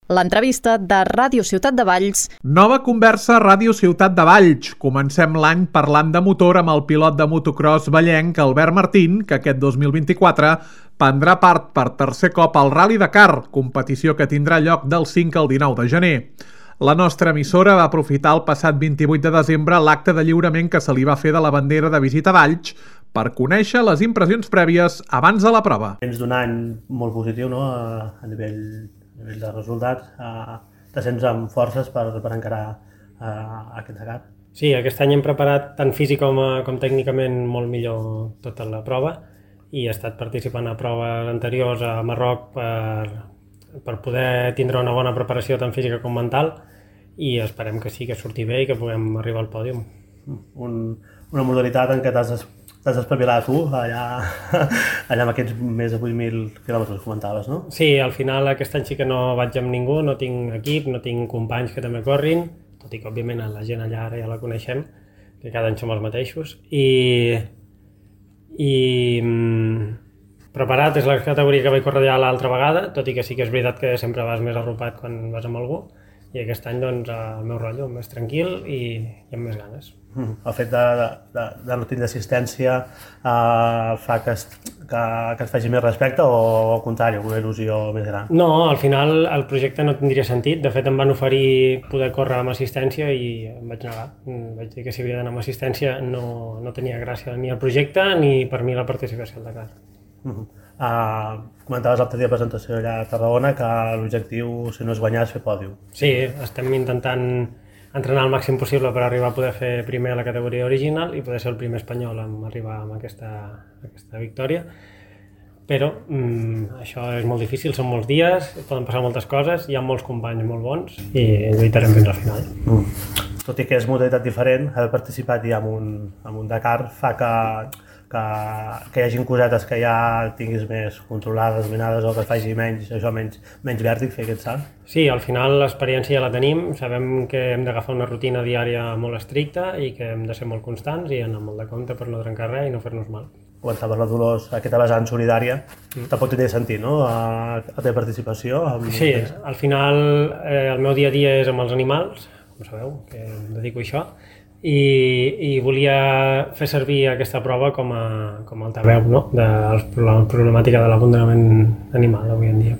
L'entrevista de Ràdio Ciutat de Valls. Nova conversa a Ràdio Ciutat de Valls. Comencem l'any parlant de motor amb el pilot de motocross vallenc Albert Martín, que aquest 2024 prendrà part per tercer cop al Rally Dakar, competició que tindrà lloc del 5 al 19 de gener. La nostra emissora va aprofitar el passat 28 de desembre l'acte de lliurament que se li va fer de la bandera de visita a Valls per conèixer les impressions prèvies abans de la prova. Dins d'un any molt positiu, no? A nivell de resultats, te sents amb forces per encarar aquest Dakar. Sí, aquest any hem preparat tant físic com tècnicament molt millor tota la prova i he estat participant a proves anteriors a Marroc per poder tindre una bona preparació tant física com mental i esperem que sí, que surti bé i que puguem arribar al pòdium. Una modalitat en què t'has d'espavilar tu, allà amb aquests més de 8.000 quilòmetres comentaves, no? Sí, al final aquest any sí que no vaig amb ningú, no tinc equip, no tinc companys que també corrin, tot i que òbviament la gent allà ara ja la coneixem, que cada any som els mateixos, i preparat és la categoria que vaig córrer allà l'altra vegada, tot i que sí que és veritat que sempre vas més arropat quan vas amb algú, i aquest any doncs el meu rotllo més tranquil i amb més ganes. El fet de no tindre assistència fa que et faci més respecte o al contrari, una il·lusió més gran? No, al final el projecte no tindria sentit. De fet em van oferir poder córrer amb assistència i em vaig negar. Vaig dir que si havia d'anar amb assistència no tenia gràcia ni el projecte ni per mi la participació al Dakar. Comentaves l'altre dia a la presentació allà a Tarragona que l'objectiu, si no és guanyar, és fer pòdium. Sí, estem intentant entrenar el màxim possible per arribar a poder fer primer a la categoria original i poder ser el primer espanyol en arribar amb aquesta victòria. Però això és molt difícil, són molts dies, poden passar moltes coses, hi ha molts companys molt bons i lluitarem fins al final. Tot i que és modalitat diferent, haver participat ja en un Dakar fa que hi hagin cosetes que ja tinguis més controlades, dominades o que et faci menys vèrtic fer aquest salt? Sí, al final l'experiència ja la tenim, sabem que hem d'agafar una rutina diària molt estricta i que hem de ser molt constants i anar molt de compte per no trencar res i no fer-nos mal. Comentaves la Dolors, aquesta vessant solidària, tampoc tindria sentit, no?, la teva participació? Sí, al final el meu dia a dia és amb els animals, com sabeu, que em dedico a això, i volia fer servir aquesta prova com a altaveu, no?, de la problemàtica de l'abandonament animal avui en dia.